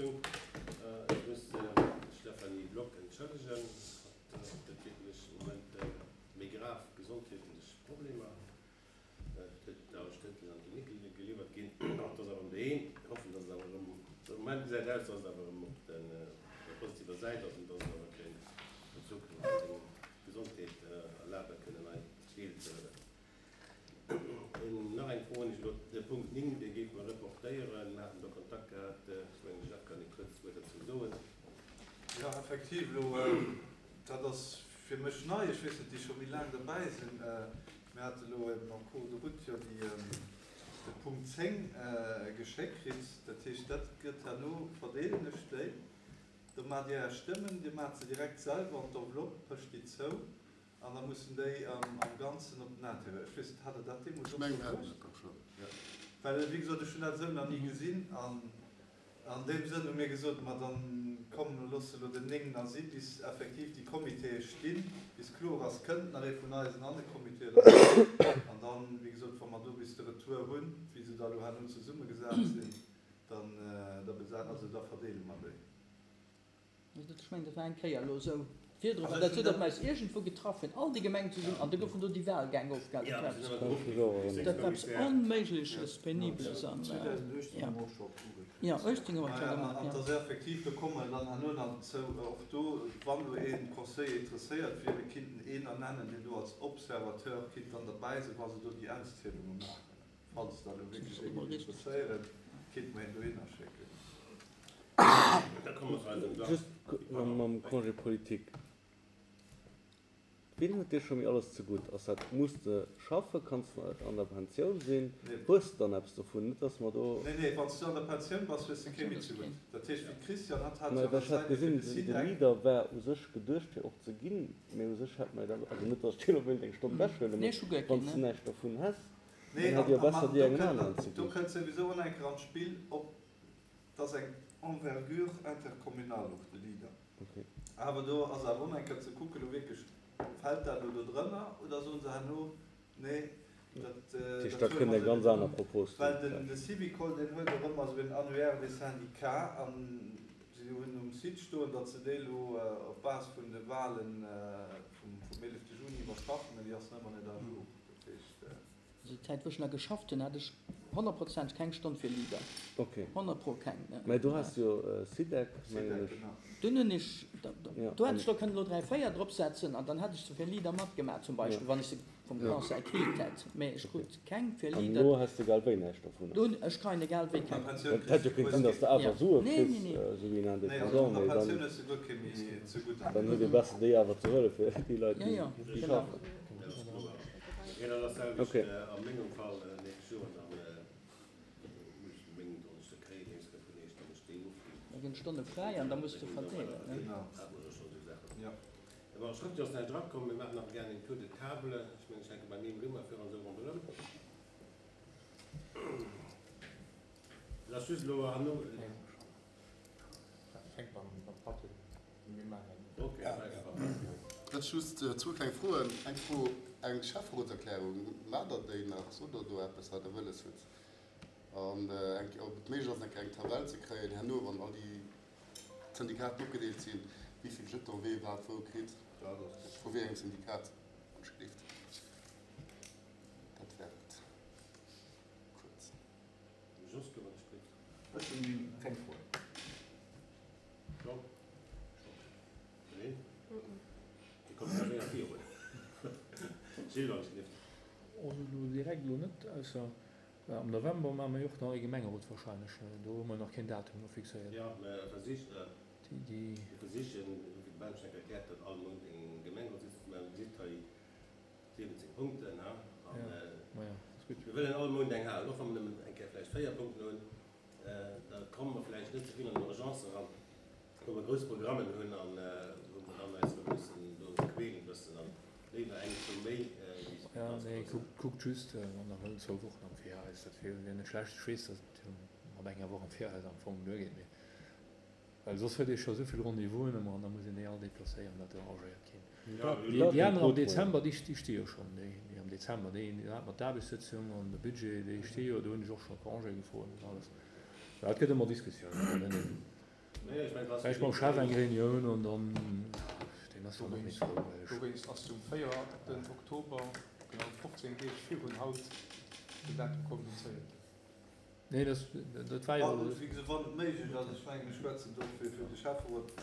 Gemengerotssitzung. Ech muss d'Stéphanie Block entschëllegen. Hatt huet wierklech am Moment méi grav gesondheetlech Problemer. Et huet all Stëttel an d'Klinik geliwwert ginn. Hatt ass awer erëm doheem. Mir hoffen, dass et awer erëm, de Moment gesäit aus, dass et awer erëm op der positiver Säit ass an dass et awer kéint an Zukunft seng Gesondheet erlabe kënnen hei deelzehuelen. Nach eng Fro hunn ech elo. De Punkt 9, dee géife mer reportéieren. Mir haten do Kontakt gehat. Ech mengen, de Jeff kann ee kuerz Wuert dozou soen. Jo, effektiv, elo, dat ass fir mech nei. Ech weess net, déi scho méi laang derbäi sinn. Mir hate elo eben en cours de route jo déi, de Punkt 10 geschéckt kritt. Dat heescht, dat gëtt herno, verdeelen ech déi. Do maacht Dir Är Stëmmen, Dir maacht se direkt selwer an d'Enveloppe, pëscht déi zou. An da mussen déi am Ganzen op den Intérieur. Ech weess net, hat Der dat deemools och scho gewosst? Well, wéi gesot, ech hunn dat esou nach ni gesinn. An an deem Sënn hu mir gesot, ma dann komm, loosse elo den 9 nach si bis effektiv déi Comitéë stinn, bis kloer ass, kënnt nach ee vun eisen an de Comité oder net. An dann, wéi gesot, wa mer do bis de Retour hunn, wéi se da elo herno zesummegesat sinn, dann da besa-, also da verdeele mer déi. Ech mengen, dat war eng Kéier elo esou virdrun, mä dat huet op eis iergendwou getraff, hunn all déi Gemengen zesummen, an do goufen do déi Wahlgäng ofgehalen. Dat war eppes Onméigleches, Penibles an, jo, jo, 18 hu mer et scho gemaach, jo. An et ass effektiv, do komme mer dann herno nach dozou, och do, wann elo ee Conseiller interesséiert wier, mir kinnten een ernennen, deen do als Observateur kinnt dann derbäi sinn, wa se do déi Auszielunge maachen. Falls dat elo wierklech ee géif interesséieren, kinnt mer een dohinner schécken. Just mam Congé politique, Wien huet dee scho méi alles zegutt? Ass dat, muss de schaffen, kanns de an der Pensioun sinn, hues de dann eppes dovun? Net dass mer do. Nee, nee, wann s du an der Pensioun bass, hues de kee méi zegutt. Dat heescht, wéi d'Christiane, hatt hat jo Mä ech hat gesinn, de Leader war u sech geduecht fir och ze ginn, mä u sech hätt mer jo da, also net dass ech dir elo wéilt eng Stonn wechhuelen, mä wann s de näischt dovun häss, dann hätt jo besser dir engem aneren ze ginn. Do kënnt souwisou och nach eng Kéier an d'Spill, ob Et ass eng Envergure intercommunale och, de Leader. Awer do ass awer och nach eng Kéier ze kucken, elo wierklech, fält dat elo do drënner oder soen se herno, nee, dat, Dat heescht, da kënnt eng ganz aner Propos do Well den, de Syvicol, deen huet och ëmmer esou en Annuaire des syndicats an si hunn um Site stoen, datt se dee elo op Base vun de Wahlen vum, vum 11 Juni iwwerschaffen, mä déi ass nach ëmmer net à jour. Dat heescht. Also déi Zäit wou ech nach geschafft hunn hat ech honnertprozenteg keng Stonn fir Leader. Ok. 100 pro keng. Mä do has de jo Sidec, mengen ech. Dunn hunn ech, do hätt ech lo kënnen elo 3, 4 drop setzen an dann hätt ech se fir Leader matgemaach zum Beispill, wann ech se vum Conseil kritt hätt. Mä ech krut keng fir Leader. An elo häss de egal wéi näischt dovunner. Do hunn, ech kreien egal wéi keng. Et hätt jo kéint sinn, datt s de awer Sue kriss, esou wéi en Indépendant, mee dann, dann huet ee besser déi awer ze huele fir déi Leit, déi schaffen. Okay, dat ass selwecht a mengem Fall nächst Joer, dann muss ech meng Donneschde kréien, deemst gëtt vun iech dann ech déi ofginn. Da ginn d'Stonne fräi an da muss de verdeelen, ne? Genau. Hat mer jo schonn esou Saachen. Jo. Bon, schrëftlech ass näischt erakomm. Mir maachen awer gären een Tour de table. Ech mengen, ech hänke beim Mim Rimmer virun esou ronderëm. Et ass just elo herno. Fänk beim Patrick Ech just zwou kleng Froen. Eng Fro, eng Schäfferotserklärung, maacht Der déi nach? Sot Der do eppes, wat Der wëlles hutt? An eng, ob et méiglech ass, eng kleng Tabell ze kréien herno, wann all déi Syndikaten opgedeelt sinn, wéi vill Jeton wee wat wou kritt, vu wéi engem Syndikat, wann ech gleeft. Dat wär et kuerz. Jos, wann ech gleeft. Ech hunn keng Froen. Also direkt elo net, ausser am November maache mer jo och nach ee Gemengerot wahrscheinlech. Do hu mer nach keen Datum elo fixéiert. Jo, mer versichen, wéi de Ben schon erkläert huet, all Mount eng Gemengerotssitzung ze maachen. Dir gesitt hei 17 Punkten, a mir wëllen all Mount eng halen, och wa mer nëmmen eng Kéier vläicht 4 Punkten hunn. Da komme mer vläicht net ze vill an den Urgence eran, wou mer grouss Programmen hunn a wou mer dann eis erëm mussen do quälen bëssen an léiwer eng zwou méi wéi ganz grouss. Nee, kuckt just, wann Der wëllt, zwou Wochen am Viraus, dat wier net schlecht. Ech weess, datt et mat enger Woch am Viraus am Fong duergeet, mee well soss huet ee scho esou vill Rendez-vousen ëmmer an da muss een déi all deplacéieren, dat arrangéiert keen. Déi aner am Dezember, déi sti jo schonn, déi am Dezember, déi hat mat d'Aarbechtssëtzung an de Budget, déi sti jo, do hunn ech och scho Congé gefrot an alles. Et gëtt ëmmer Diskussiounen. Vläicht mam Chef eng Reunioun an dann, deen ass dann och méi frou, well ech. Dowéinst ass um 4 den Oktober, genau 15 Deeg virun haut, den Datum kommunizéiert ginn. Nee, dat, dat war jo. Wéi gesot, wann et méiglech ass, ech mengen, ech schwätzen do fir de Schäfferot,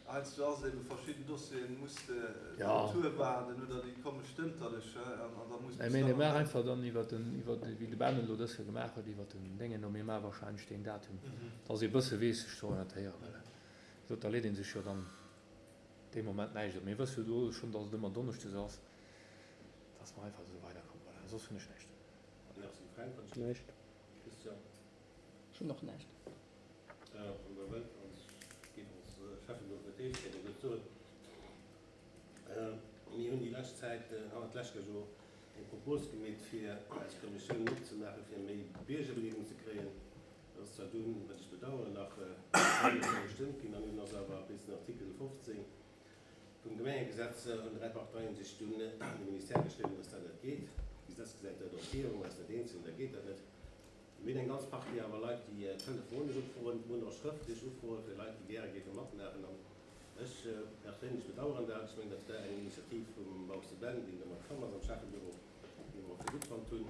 heiansdo ass eben verschidden Dossieren, muss de d'Retour waarden oder déi komme stënterlech an da muss bis dann. Mir maachen einfach dann iwwert den, iwwert, wéi de Ben elo dës Joer gemaach huet, iwwert den Déngen do, mir maache wahrscheinlech deen Datum, dass ee bësse weess sech ze orientéieren, well wéi gesot, da leet ee sech jo dann dee Moment näischt op. Mir wësse jo do schonn, dass et ëmmer donneschdes ass, dass mer einfach esou weiderkommen. Voilà, soss hunn ech näischt. Merci Fränk. Näischt. Christian. Ech hunn och näischt. An der Welt als géif ons Schäffen do fir d'éischt Kéier gutt soen. Mir hunn déi lescht Zäit, hannert d'lescht Joer eng Propos gemeet fir eis Kommissioun opzemaachen, fir méi Biergerbedeelegung ze kréien. Dat ass zwar dunn, wat ech bedauern, nach net gestëmmt ginn an dunn ass awer bis den Artikel 15 vum Gemengegesetz hunn 3 Parteien sech dunn un de Ministère geschriwwen, dass dat net geet. D'Gesetz gesäit dat och vir, wa mer eis net eens sinn, da geet dat net. Mir hunn eng ganz Partie awer Leit, déi telefonesch ufroen, mir hunn och schrëftlech Ufroe fir Leit, déi gäre géife matmaachen. An ech perséinlech bedauern dat. Ech mengen, dat war eng Initiativ vum Bausse Ben, deen domat komm ass am Schäffebüro, déi mer och fir gutt fonnt hunn.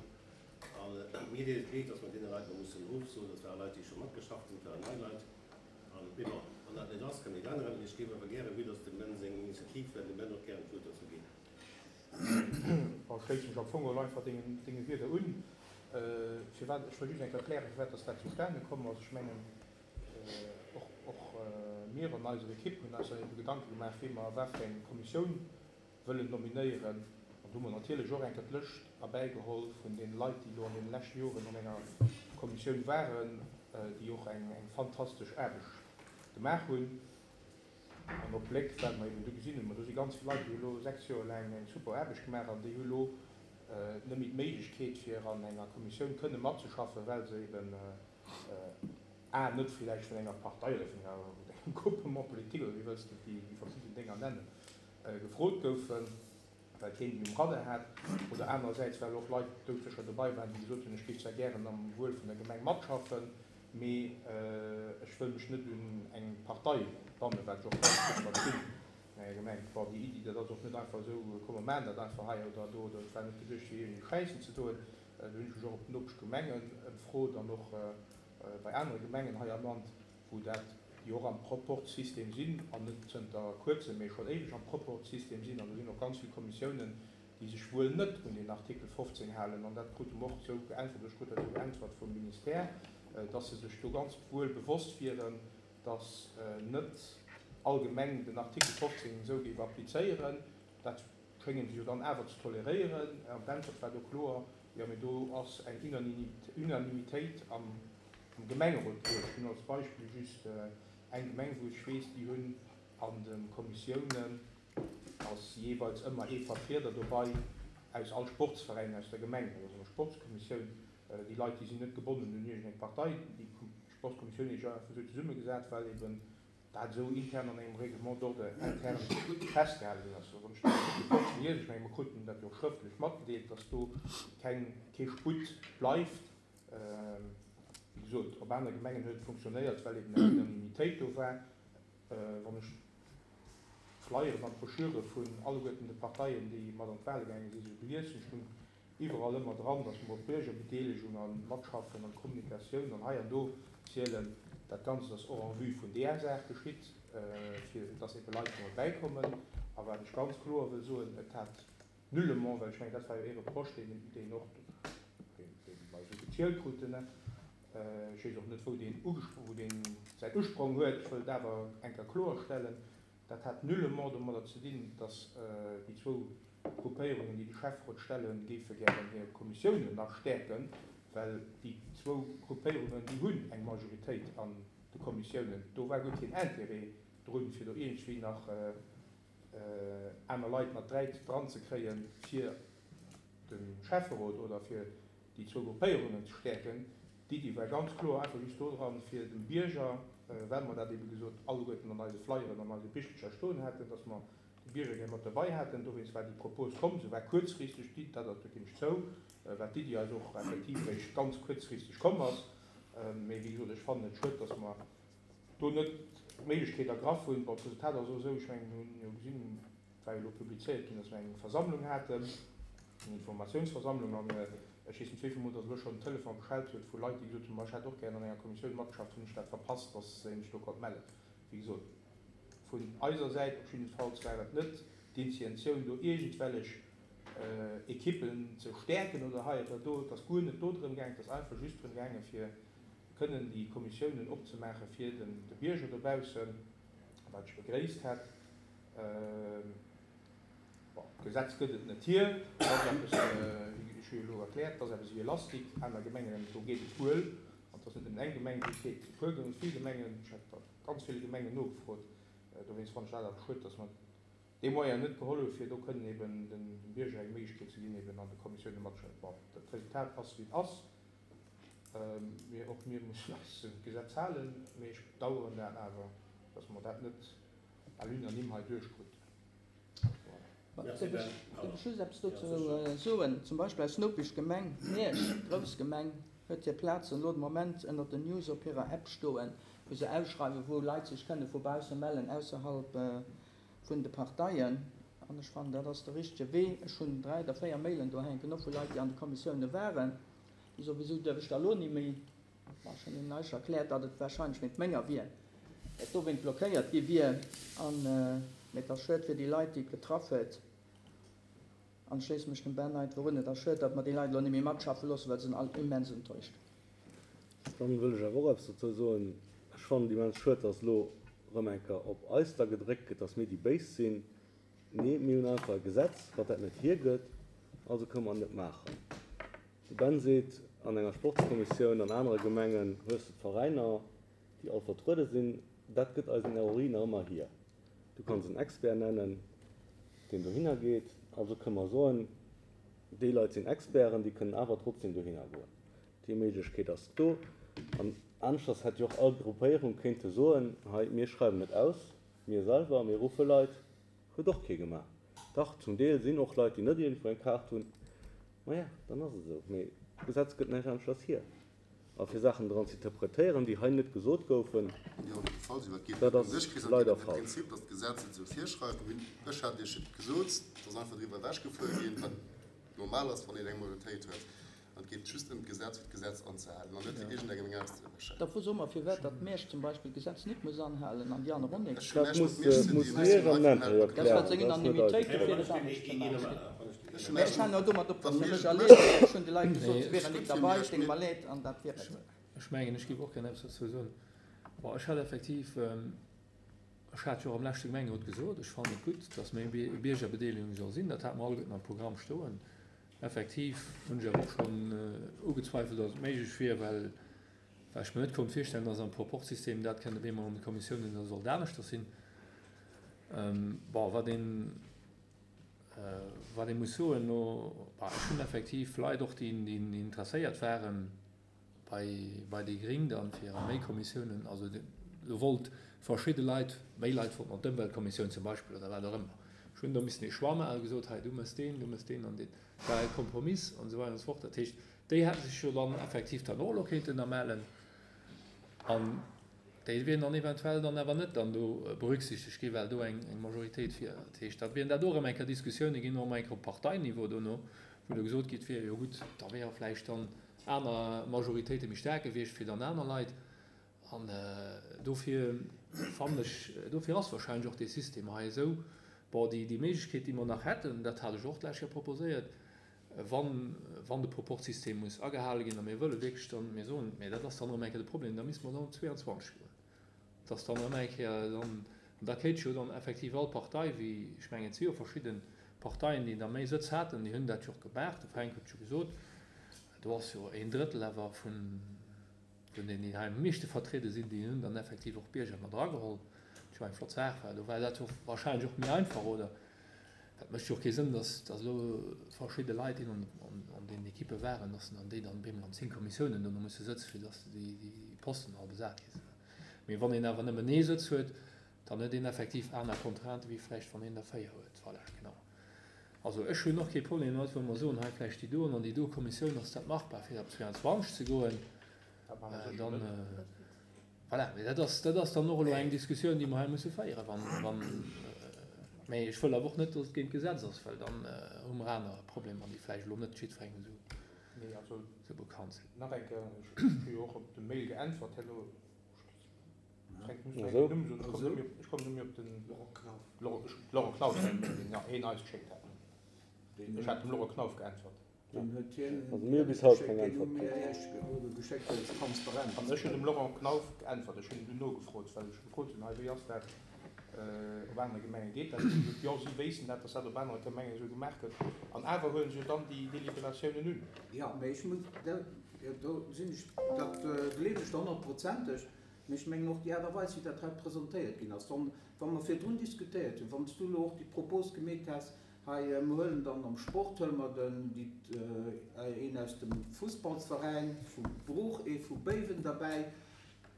A mir deet et leed, dass mer deene Leit elo mussen ofsoen. Dat ware Leit, déi scho matgeschafft hunn, dat waren nei Leit. An, mee bon, wann dat net ass, kann een änneren. Mee ech géif awer gären, vue dass dem Ben seng Initiativ war, dem Ben och gären d'Wuert dozou ginn. Bon, ech schléisse mech am Fong geholl einfach dengen, denge Wierder un. Firwat, ech wëll just eng Kéier erklären, firwat dass dat zustane komm ass. Ech mengen, och, och mir an eiser Ekipp hunn eis dann ebe Gedanke gemaach, wéi mer wat fir eng Kommissioun wëllen nominéieren. An do hu mer natierlech och eng Kéier d'Lëscht erbäigeholl vun deene Leit, déi elo an deene leschte Joren an enger Kommissioun waren, déi och eng fantastesch Aarbecht gemaach hunn. An op Bléck, wat mer eben do gesinn hunn, ma do si ganz vill Leit, déi hu elo 6 Joer laang eng super Aarbecht gemaach an déi hu elo net méi d'Méiglechkeet, fir an enger Kommissioun kënne matzeschaffen, well se eben a net villäicht vun enger Partei oder vun engem Groupement politique oder wéi wëlls de déi verschidden Dénger nennen, gefrot goufen, well keen déi um Radar hat, oder anerersäits well och Leit doudsécher dobei waren, déi gesot hunn, ech géif zwar gären am Wuel vun der Gemeng matschaffen, mee ech wëll mech net un eng Partei bannen, wat ech och ganz gutt verstinn. An enger Gemeng, bon, déi Iddi, dat ass och net einfach esou, komm mer maachen dat einfach hei oder do, oder et war net geduecht fir iergendee Schäissen ze doen. Do hunn ech mech och op d'Nopeschgemengen ëmfrot an och bei anere Gemengen hei am Land, wou dat, déi och am Proporzsystem sinn, an net zënter kuerzem, mee schonn éiweg am Proporzsystem sinn, an do sinn och ganz vill Kommissiounen, déi sech wuel net un deen Artikel 15 halen, an dat krute mer och esou geäntwert, oder ech krut dat esou geäntwert vum Ministère, dass se sech do ganz wuel bewosst wieren, dass net all Gemeng den Artikel 15 esou géif applizéieren. Dat schéngen se jo dann awer ze toleréieren. An d'Äntwert war do kloer, Jo, mee do ass eng Unanimitéit am Am Gemengerot bruecht. Ech hunn als Beispill just eng Gemeng, wou ech weess, déi hunn an de Kommissiounen ass jeeweils ëmmer ee Vertrieder dobei aus all Sportsveräin aus der Gemeng. Dat ass eng Sportskommissioun. Déi Leit, déi sinn net gebonnen un iergendeng Partei. Déi Sportskommissioun huet sech einfach esou zesummegesat, well eben dat esou intern an engem Règlement d'ordre interne festgehale ginn ass. Wann ech den Artikel 15 liesen, ech menge mer kruten dat jo och schrëftlech matgedeelt, dass do keng, kee Sputt bleift, Wéi gesot, op anere Gemengen huet et funktionéiert, well eben eng Unanimitéit do war. Wann ech d'Flyeren an d'Broschüre vun alleguerten de Parteien, déi mat an d'Wahle gaange sinn, esou gelies hunn, stung iwwerall ëmmer dran, datt mer op Biergerbedeelegung a Matschaffen an Kommunikatioun an hei an do zielen. Dat Ganzt ass och en vue vun deeër Saach geschitt, fir datt ebe Leit do erbäikommen. A wat ech ganz kloer wëll soen, et hat Nullement, well ech mengen, dat war jo ee Reproche, deen, deen och, deen, dee mer esou gezielt kruten. Ech weess och net, wou deen wou deen säin Usprong huet. Ech wëll et awer eng Kéier kloerstellen, Dat hat nullement domadder ze dinn, dass déi zwou Gruppéierungen, déi de Schäfferot stellen, géife gären hir Kommissiounen nach stäerken, well déi zwou Gruppéierungen, déi hunn eng Majoritéit an de Kommissiounen. Do war guer keen Intérêt drun, fir do iergendwéi nach aner Leit mat dran ze kréien, fir de Schäfferot oder fir déi zwou Gruppéierungen ze stäerken. D'Iddi war ganz kloer einfach just dodran, fir dem Bierger, well mer dat ebe gesot alleguerten an eise Flyeren an eise Bichelcher stoen haten, dass mer de Bierger gär mat derbei haten. Dowéinst war déi Propos komm. Se war kuerzfristeg, déi, dat do ginn ech zou, well d'Iddi eis och effektiv eréischt ganz kuerzfristeg komm ass. Mee wéi gesot, ech fannen et schued, dass mer do net. d'Méiglechkeet ergraff hunn. Bon, d'Resultat ass och esou, ech mengen, mir hunn jo gesinn, et war jo elo publizéiert ginn, dass mir eng Versammlung haten, eng Informatiounsversammlung, an ech weess net wéivill Mol dass elo schonn den Telefon geschellt huet vu Leit, déi gesot hunn, ma ech hätt och gären an enger Kommissioun matgeschafft, hunn ech dat verpasst, dass een sech do konnt mellen. Wéi gesot, vun eiser Säit op jiddefalls war et net d'Intientioun, do iergendwellech Ekippen ze stäerken oder hei oder do. Et ass guer net do drëm gaangen. Et ass einfach just drëm gaangen, fir kënnen déi Kommissiounen opzemaache fir de Bierger dobaussen, wat ech begréisst hätt. Bon, d'Gesetz gëtt et net hier. Et ass eppes, ech hu jo elo erkläert, et ass eppes ewéi e Lastik. Aner Gemengen, do geet et wuel. An et ass net nëmmen eng Gemeng, wou et geet, et si puer, vill Gemengen. Ech hat bei ganz ville Gemengen nogefrot. Dowéinst fannen ech dat awer schued, dass mer dee Moyen net geholl hu fir do kënnen eben dem Bierger eng Méiglechkeet ze ginn, eben an de Kommissioune matzeschaffen. Bon, dat Resultat ass wéi et ass. Mir, och mir mussen eis un d'Gesetz halen, mee ech bedauern dat awer, dass mer dat net à l'unanime hei duerchkruten. Voilà. Dierf ech just eppes dozou soen? Zum Beispill eis Nopeschgemeng Miersch, grouss Gemeng, huet hir Plazen elo de Moment ënnert den News op hirer App stoen, wou se ausschreiwen, wou Leit sech kënne vu bausse mellen, ausserhalb vun de Parteien. An ech fannen, dat ass de richtege Wee. Ech hunn 3 oder 4 Mailen do hänken, och vu Leit, déi an de Kommissioune waren, déi soen, Wisou duerf ech da elo ni méi? Bon, ech hunn hinnen eischt erkläert, datt et warscheinlech wéint menger wier, et dowéint blockéiert gi wier. An, mee et ass schued fir déi Leit, déi et getraff huet. An ech schléisse mech dem Ben einfach un, et ass schued, datt mer déi Leit elo ni méi matschaffe loossen, well se sinn all immens enttäuscht. Dann wëll ech awer och eppes dozou soen. Ech fannen et immens schued, dass elo erëm eng Kéier op eis da gedréckt gëtt, dass mir déi Béis sinn. Nee, mir hunn einfach e Gesetz, wat dat net hiergëtt, also kënne mer et net maachen. De Ben seet, an enger Sportskommissioun an anere Gemengen hues de d'Veräiner, déi all vertruede sinn. Dat gëtt eisen ROI nach ëmmer hier. Du kanns en Expert nennen, deen dohinner geet. Also kënne mer soen, déi Leit sinn Experten, déi kënnen awer trotzdem dohinner goen. Déi Méiglechkeet ass do. An aneschters hätt jo och all Gruppéierung kéinte soen, hei, mir schreiwen et aus, mir selwer, mir ruffe Leit. Huet och kee gemaach. Dach, zum Deel sinn och Leit, déi net iergendwou eng Kaart hunn. Maja, dann ass et esou. Mee d'Gesetz gëtt näischt aneschters hier. A fir Saachen dran ze interpretéieren, déi hei net gesot goufen, dat ass leider falsch. An et geet just ëm d'Gesetz, fir d'Gesetz anzehalen an net fir iergendengem eng auszewëschen. Da soe mer, firwat datt Miersch zum Beispill d'Gesetz net muss anhalen an déi aner och net. Dat muss Miersch am Intérieur Dat war seng klären, dat ass net eis Unanimitéit, dofir et anescht ze maachen. Mä ech halen och domat op, datt se mech erleeft huet. Ech hunn de Leit gesot, se wieren nik derbei, et deet mer leed, an dat wier et. Ech mengen, ech géif och gär eppes dozou soen. Bon, ech hat effektiv, ech hat jo och am leschte Gemengerot gesot, ech fannen et gutt, datt méi Biergerbedeelegung soll sinn. Dat hate mer alleguerten am Programm stoen. Effektiv hunn ech awer och schonn ugezweifelt, datt et méiglech wier, well ech mir net konnt virstellen, datt am Proporzsystem dat kënnt op eemol an de Kommissiounen da sollt aneschters sinn. Bon, wat een, wat ee muss soen, no, bah, ech hunn effektiv Leit och, déi interesséiert waren, bei, bei déi Gring dann fir a méi Kommissiounen, also do wollt verschidde Leit, méi Leit wollten an d'Ëmweltkommissioun zum Beispill oder wat och ëmmer. Ech hunn do missen ee Choix maachen, gesot, hei du mëss deen, du mëss deen an deen. Et war e Kompromiss an esou weider an esou fort. Dat heescht, déi hätte sech jo dann effektiv dann och elo kéinten da mellen an déi wieren dann eventuell dann awer net dann do berücksichtegt ginn, well do eng, eng Majoritéit wier. Dat heescht, da wieren dat och erëm eng Kéier Diskussiounen ginn, och erëm eng Kéier op Parteiniveau dono, wou da gesot gitt wier, jo gutt, da wiere vläicht dann aner Majoritéite méi staark gewiescht fir dann aner Leit. An dofir fannen ech, dofir ass wahrscheinlech och dee System hei esou. Bon, déi, déi Méiglechkeet, déi mer nach hätten, dat hat ech och d'lescht Joer proposéiert, wann, wann de Proporzsystem muss agehale ginn a mir wëlle wierklech dann, mir soen, mä dat ass dann erëm eng Kéier de Problem, da misste mer dann op 22 goen. Dass dann erëm eng Kéier dann, an da kéint jo dann effektiv all Partei, wéi, ech mengen et si jo verschidde Parteien, déi da méi Sëtz haten, déi hunn dat jo och gemaach, de Fränk huet et jo gesot, do ass jo een Drëttel awer vun vun deenen, déi hei am meeschte vertriede sinn, déi hunn dann effektiv och Bierger mat erageholl, wat jo eng flott Saach war. Do war dat jo wahrscheinlech och méi einfach, oder? Dat mécht jo och kee Sënn, dass dass elo verschidde Leit, déi an an deenen Ekippe waren, dass dann déi dann op eemol an 10 Kommissiounen dono musse sëtzen, fir dass déi déi Posten all besat gi sinn. Mee wann een awer nëmmen ee Sëtz huet, dann huet een effektiv aner Contraintë wéi vläicht wann een der 4 huet. Voilà, genau. Also ech hunn och kee Problem domat, wa mer soen, hei vläicht déi do an an déi do Kommissioun ass dat machbar fir op 22 ze goen, dann. Voilà, mee dat ass, dat ass dann och elo eng Diskussioun, déi mer hei musse féieren, wann, wann, mee ech wëll awer och net, datt et géint d'Gesetz ass, well dann hu mer aner Problemer, déi vläicht elo net jiddwerengem esou, Nee, also esou bekannt sinn. nach eng Kéier, ech hu jo och op de Mail geäntwert herno, ech muss direkt den Numm soen, ech kommen net méi op, ech kommen net méi op den Laurent Knauf. Laurent, ech, Laurent Knauf, deen hien eis geschéckt hat. Ech hat dem Laurent Knauf geäntwert. Dann huet hien Also mir hu bis haut geschéckt, keng deen hu Äntwert mir kritt. Iech geschéckt, well et transparent An ech hunn dem Laurent Knauf geäntwert. Ech hunn dunn nogefrot, well ech gefrot hunn, hei wéi ass dat, op anere Gemenge geet dat? Huet hie gesot, jo, si wéissten dat, datt dat op anere Gemengen esou gemaach gëtt. An awer huele se jo dann déi Deliberatiounen un. Jo, mä ech muss, jo, do sinn ech, dat gleewen ech der honnertprozenteg, mä ech mengen och déi Aart a Weis, wéi dat hei presentéiert ginn ass, wann, wa mer virdrun diskutéiert hunn, wann s du elo och déi Propos gemeet häss, Hei, mer huelen dann am Sport huele mer den, déi, een aus dem Fussballsveräin vu Bruch, ee vu Béiwen derbäi.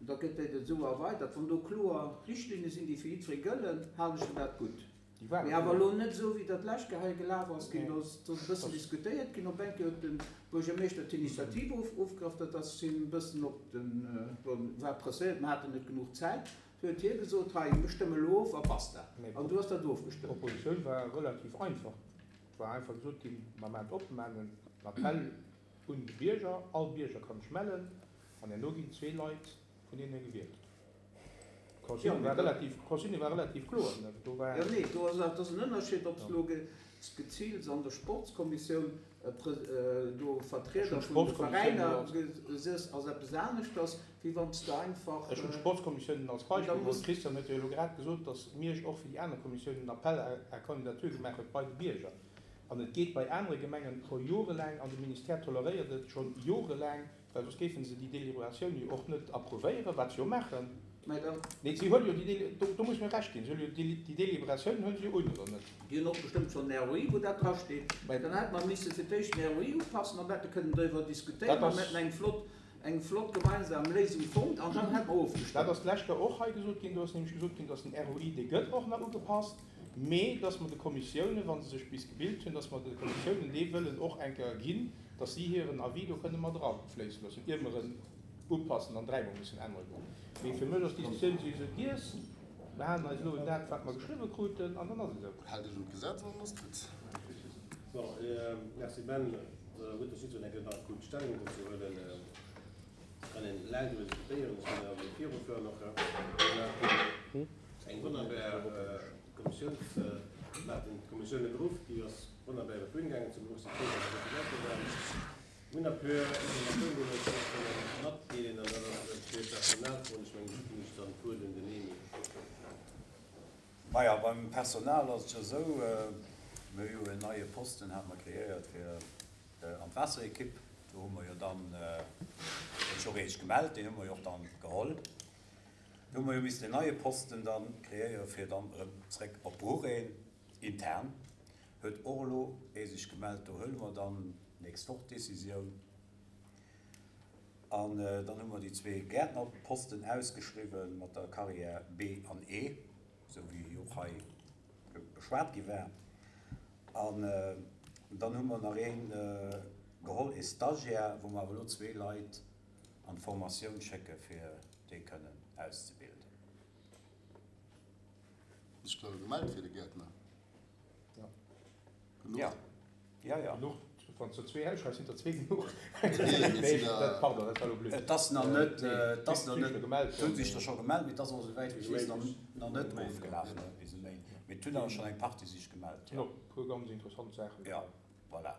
Da gëtt dat esou erweidert. Wann do kloer Richtlinne sinn, déi fir jiddweree gëllen, halen ech fir dat gutt. Mee awer elo net esou, wéi dat d'lescht Kéier hei gelaf ass ginn. Do ass e bëssen diskutéiert ginn. Op eng Kéier huet de Buergermeeschter d'Initiative ofgegraff. Dat ass him e bëssen op den, bon, war presséiert, mer haten net genuch Zäit. Du huet hie gesot, hei, mir stëmme elo of a basta. An du ass dat ofgestëmmt. D'Propositioun war relativ einfach. Et war einfach gesot ginn, mer maachen op, mer maachen en Appell un de Bierger, all Bierger kann sech mellen an herno ginn zwee Leit vun hinne gewielt. D'Consigne war relativ, d'Consigne war relativ kloer. Do war. Jo, nee, do ass awer, et ass en Ënnerscheed, ob s de elo geziilt an der Sportskommissioun do Vertrieder vun de Veräiner gesiess, ass eppes aneschters, wéi wann s de einfach. Ech hunn d'Sportskommissiounen als Beispill geholl. D'Christiane huet jo elo grad gesot, datt Miersch och fir déi aner Kommissiounen en Appel à candidature gemaach huet bei de Bierger. An et geet bei anere Gemengen scho jorelaang, an de Ministère toleréiert et scho jorelaang, Well soss géife se déi Deliberatioun jo och net approuvéieren, wat se jo maachen. Mä dann. Nee, si huele jo déi Deli, do, do muss mir Recht ginn, si huele jo déi, déi Deliberatioun huele se jo un, oder net? Déi hunn och bestëmmt schonn en ROI, wou dat drasteet. Mä. Dann hätte mer misse fir d'éischt den ROI upassen, dann hätte kënnen driwwer diskutéieren, Dat dann ass. hätten eng flott, eng flott gemeinsam Léisung fonnt an dann hätte mer ofgestëmmt. Dat ass d'lescht Joer och hei gesot ginn. Do ass nämlech gesot ginn, dass den ROI, dee gëtt och nach ugepasst, mee dass mer de Kommissiounen, wa se sech bis gebilt hunn, dass mer de Kommissiounen dee wëllen och eng Kéier ginn, dass si hiren Avis do kënne mat erafléisse loossen, ier mer en upassen an dräimol mussen ännere goen. Mee fir mech ass d'Diskussioun souwisou giess. Mer halen eis elo un dat, wat mer geschriwwe kruten, an dann ass et esou. Haalt Iech un d'Gesetz an dann ass et gutt. Bon, merci Ben. Gutt, dass jiddwereen eng Kéier nach kuckt Stellung dozou huelen. Kann een laang driwwer diskutéieren. Ech wëll awer virufueren och. Mir haten eng wonnerbar Kommissiouns, mir haten d'Kommissioune geruff, déi ass wonnerbar iwwer d'Bün gaangen, zum Gros si frou, datt esou vill Leit do waren. Mir hunn e puer Informatiounen, déi mir iech nach wëlle matdeelen, an dat ass e puer Personalfroen. Ech mengen, do ginn ech dann d'Wuert un den Emile. Maja, beim Personal ass et jo esou, mir hu jo en neie Posten, hate mer kreéiert fir an d'Waasserekipp. Do hu mer jo dann, huet sech och ee sech gemellt, deen hu mer jo och dann geholl. Do hu mer jo missen en neie Posten dann kreéiere fir dann erëm zréck op Bruch. Een intern huet och elo ee sech gemellt, do huele mer dann d'nächst Woch d'Decisioun. An dann hu mer déi zwee Gäertnerposten ausgeschriwwen mat der Carrière B an E, esou wéi och hei beschwat gi war. An dann hu mer nach ee geholl, ee Stagiaire, wou mer awer elo zwee Leit an d'Formatioun schécke fir déi kënnen auszebilden. Hues dech da gemellt fir de Gäertner? Ja. Genuch? Ja, ja, ja. Genuch? Wann s der zwee ausschreifs, sinn der zwee genuch. Nee, dat, pardon, dat war elo blöd. Et ass nach net, et ass nach net, et hunn sech der scho gemellt, mee et ass och, esouwäit wéi ech weess, nach net ofgelaf bis e Méint. Mee et hunn awer schonn eng Partie sech gemellt, jo. E puer ganz interessant Saachen. Ja, voilà.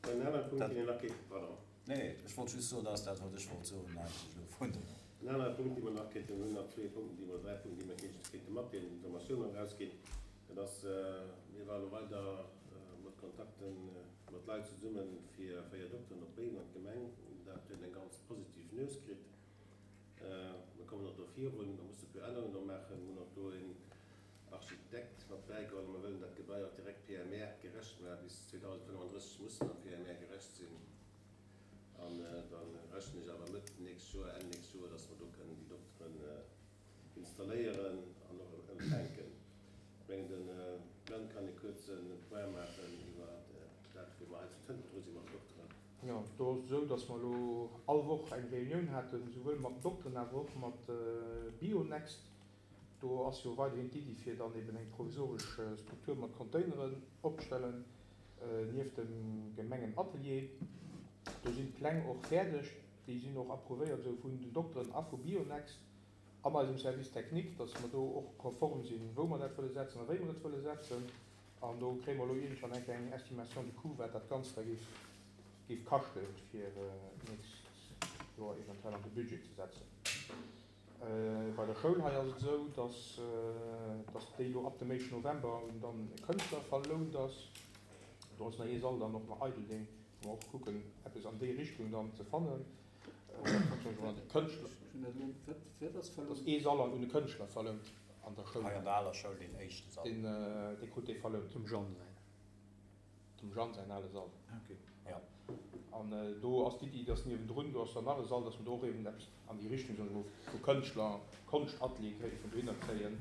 En anere Punkt, deen een nach kéint, pardon. Nee, ech wollt just soen, dat ass dat, wat ech wollt soen eigentlech elo vun den. En anere Punkt, dee mer nach kéinten, mir hunn nach zwee Punkten, déi mer, dräi Punkten, déi mer kéinte kéinte matdeelen, Informatioun nach erausginn. Dat ass, mir ware elo weider mat Kontakten mat Leit zesumme fir véier Dokteren op Béiwen an d'Gemeng. Dat huet eng ganz positiv Nues kritt. Mir kommen och do virun, mer musse e puer Ännerungen do maachen. Mir hunn och do een Architekt mat bäigeholl. Mer wëllen dat Gebai och direkt PMR-gerecht maachen. Bis 2035 muss en PMR-gerecht sinn. An da rechnen ech awer Mëtt nächst Joer, Enn nächst Joer, dass mer do kënnen déi Dokteren installéieren an och empfänken. Ech mengen, de Ben kann e kuerze Point maachen iwwer dat, wou mer hei zu Tënten dru si mat den Dokteren. Jo, do ass et esou, datt mer elo all Woch eng Reunioun haten, souwuel mat den Dokteren awer och mat Bionext. Do ass jo weiderhin d'Iddi fir dann eben eng provisoresch Struktur mat Containeren opzestellen nieft dem Gemengenatelier. Do sinn d'Pläng och fäerdeg, déi sinn och approuvéiert esou vun den Dokteren a vu Bionext an eisem Service technique, datt mer do och konform sinn, wou mer dat wëlle setzen a wéi mer et wëlle setzen. An do kréie mer elo iergendwann eng kleng Estimation de coût, wat dat Ganzt da géif, géif kaschten, fir d'nächst Joer eventuell an de Budget ze setzen. Bei der Schoul hei ass et esou, dass, dass déi elo ab dem éischten November un dann e Kënschtler verlount ass. Do ass nach ee Sall dann och nach eidel, dee wou mer och kucken, eppes an déi Richtung dann ze fannen. Dass ee Sall un e Kënschtler verlount an der Schoul. Hei an der aler Schoul, deen éischte Sall. Deen krut dee verlount. Dem Jeanne säin. Dem Jeanne säin ale Sall. Ok. Jo. An do ass d'Iddi, dass niewendrun, do ass dann nach e Sall, dass mer do och eben eppes an déi Richtung, soen ech mol, vu Kënschtler, Konschtatelier kéinte vun dohinner kréien.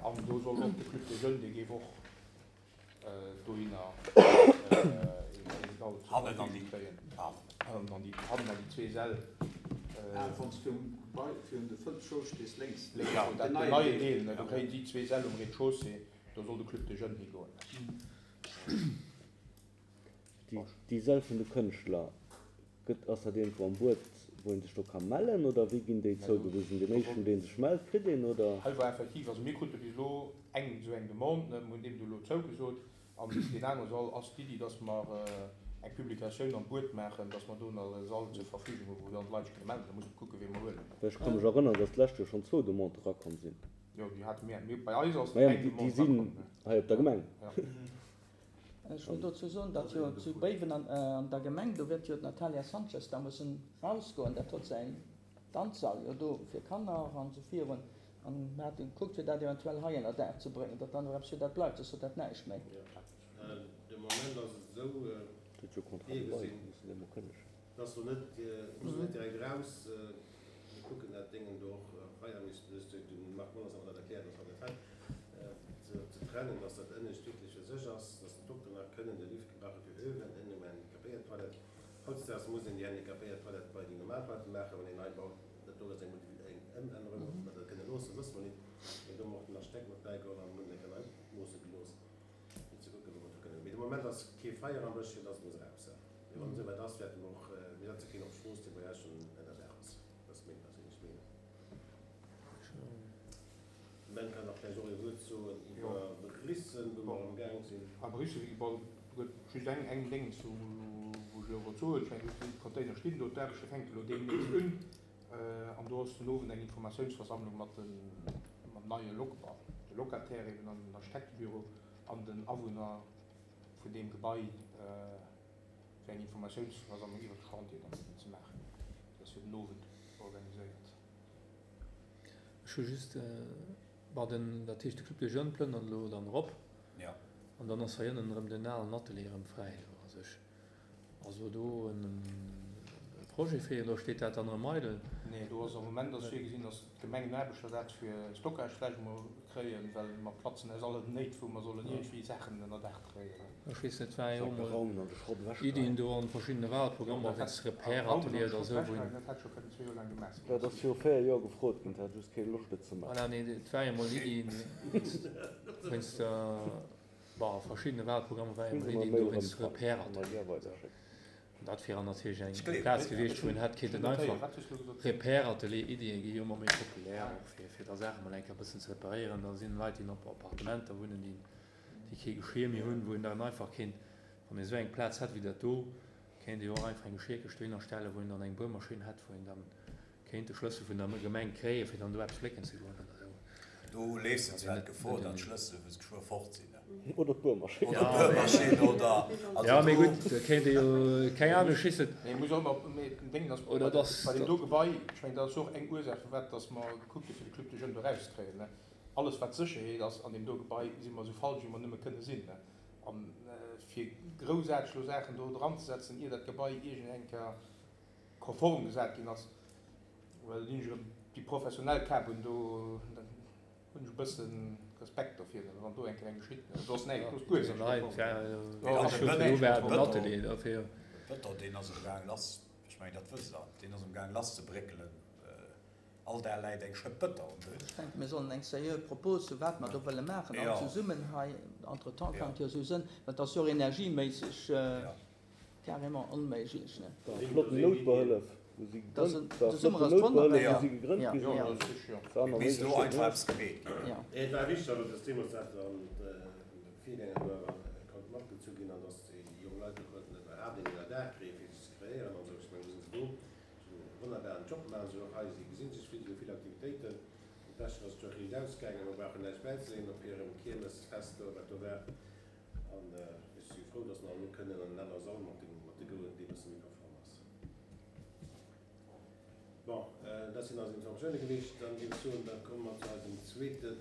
An do soll och de Club des Jeunes, dee géif och dohinner een Sall zur Verfügung kréien. Hannen an déi, hannen an déi zwee Säll. Ah, wann s du um Gebai virun de Fënn stees, lénks. Lénks, jo, dat den neien Deel, ne, do kréien si zwee Säll um Rez-de-chaussée, do soll de Club des Jeunes higoen. Déi Säll vun de Kënschtler, gëtt, ass dat iergendwou am Buet, wou een sech do ka mellen, oder wéi ginn déi zougewisen? Deen éischten, dee sech mellt, kritt een, oder? Hei war effektiv, also mir krute bis elo eng esou eng Demande, ne, mir hunn deem du elo zougesot. An deen anere Sall ass d'Iddi, dass mer eng Publikatioun am Buet maachen, dass mer do nach e Sall zur Verfügung hu wou dann d'Leit sech kënne mellen. Da muss mer kucken, wee mer huelen. Well ech ka mech erënneren, dass d'lescht Joer schonn zwou Demandë rakomm sinn. Jo, déi hate mir. Mir, bei eis ass Maja, eng déi Demande sinn rakomm, ne. hei op der Gemeng. Ja. Ech wëll dozou soen, datt jo zu Béiwen an der Gemeng, do wäert jo d'Natalia Sanchez da mussen rausgoen, dat huet säin Danzsall jo do fir Kanner an esou virun. An mir hate gekuckt, fir dat eventuell hei ënner Daach ze bréngen, datt dann och eppes fir dat bleift, soss huet dat näischt méi. De Moment ass et esou virgesinn, dass do net, muss net direkt eraus. Mir kucken dat Déngen do och hei an de Marc Monners hat mer dat erkläert, dass mer dat hei ze trennen, dass dat ënnescht wierklech fir sech ass, dass den Dokter nach kënnen de Lift gebrauche fir öwen, ënne um Handicapéiertoilette. Hautdesdaags muss een déi Handicapéiertoilette bei déi normal Toilette maachen, wann een nei baut. Dat do ass eng Ëmännerung. Ob mer dat kënne loossen, wësse mer nit. Mee do hu mer och den Architekt mat bäigeholl an hunn eng Kéier nei opmoosse gelooss, fir ze kucken, wou mer do kënnen. Mee de Moment ass kee Feier am Bësch, fir dass et muss eraus. Mee wann et esouwäit ass, wäerte mer och, mir setze keen op d'Strooss, dee bei eis schonn ënnerdaach ass. Dat ass meng perséinlech Meenung. Den Ben kann nach vläicht och ee Wuert soen iwwer Bissen, wou mer am Gaang sinn. A Bissen, bon, do gëtt just eng, eng Déngens, wou, wou ech elo wollt soen, ech mengen, do stinn d'Container stinn do, d'Aarbechte fänken elo deemnächst un. An do ass den Owend eng Informatiounsversammlung mat de, mam neie Loc, bon, de Locataire eben an den Architektebüro an den Awunner vun deem Gebai, fir eng Informatiounsversammlung iwwert de Chantier dann eben ze maachen. Déi ass fir den Owend organiséiert. Ech hu just, bon, den, dat heescht de Club des Jeunes plënnert elo dann erop. Jo. An dann ass hei ënnen erëm den alen Atelier erëm fräi do a sech. Also do en Projet fir, oder steet dat dann erëm eidel? Nee, do ass am Moment ass virgesinn, datt d'Gemengenaarbechter dat fir Stockage vläicht emol kréien, well mer platzen aus allen Néit, wou mer sollen iergendwéi Saachen ënner Daach kréien. Ech weess net, war jo emol Iddien do an verschiddene Wahlprogrammer wéinst Repair-Atelier oder esou, wou een. Dat hätt scho kënnen zwee Joer laang gemaach sinn. Dat ass viru 4 Joer gefrot ginn, et hat just kee Loscht et ze maachen. Voilà, nee, et war jo emol Iddien wéinst der, bon, a verschiddene Wahlprogrammer war jo emol Iddien do wéinst Repair-Atelier oder esou. An dat wier natierlech eng Plaz gewiescht, wou een hätt kéinten einfach Repair-Atelier-Iddie gi jo ëmmer méi populär, och fir da Saache mol eng Kéier e bëssen ze reparéieren. Da sinn Leit, déi op Appartementer wunnen, déi déi kee Geschir méi hunn, wou een dann einfach kéint, wann ee sou eng Plaz hätt wéi dat do, kéint ee jo och einfach eng Geschirkëscht dohinner stellen, wou een dann eng Buermaschinn hätt, wou een dann kéint de Schlëssel vun der Gemeng kréien, fir dann do eppes flécken ze goen oder esou. Do leefs de zwar d'Gefor, datt d'Schlëssele wou se geschwë fort sinn, ne? Oder d'Buermaschinn. Oder d'Buermaschinn, oder, also do. Jo, mee gutt, da kéint ee jo, keng Ahnung, ech weess net. Mee muss och ëmmer, mee den Déngen ass, Oder dass. Bei deem do Gebai, ech mengen, dat ass jo och eng Ursaach, firwat datt mer gekuckt hu fir de Club des Jeunes do erauszekréien, ne? Alles wat Sécherheet ass an deem do Gebai, si mer esou falsch wéi mer nëmme kënne sinn. A fir groussaarteg elo Saachen do dranzesetzen, ier dat Gebai iergend eng Kéier konform gesat ginn ass, well hunn ech erëm déi professionell Kap un, do hunn ech e bësse Respekt dovir, wann do eng Kéier eng geschitt. Do ass näischt, do ass guer näischt konform. Bëton, deen ass am Gaang lass, ech mengen dat wësst Der, deen ass am Gaang lasszebréckelen. All Dag läit eng Schëpp Bëtter um Buedem. Ech denken, mir sollen eng seriö Propos hu wat mer do wëlle maachen, all zesummen hei. Entretemps kann et jo esou sënn, well et ass jo och energieméisseg carrément onméiglech, ne? War e flotten Noutbehëllef, wou si gegrënnt, war e flotten Noutbehëllef, wou si gegrënnt gi sinn. War nach Misst elo einfach eppes gemeet ginn. Et war wichteg awer, dass deemools dat an de Virgänger do awer konnt matgezu ginn an dass déi jonk Leit do konnten iwwerhaapt een Ënnerdaach kréien, fir sech ze kreéieren an esou. Ech mengen, do sinn se do. Sou e wonnerbaren Job maachen se och hei. Si gesinn sech vill, si hu vill Aktivitéiten. Am beschten ass et jo och riicht ausgaangen. Mer brauchen näischt bäizeleeën op hirem Kiermesfest do, wat do war. An ech si frou, dass mer elo kënnen an en anere Sall mat de goen, dee bësse méi konform ass. Bon, dat sinn eis Informatioune gewiescht. Dann géif ech soen, da komme mer zu eisem zweete.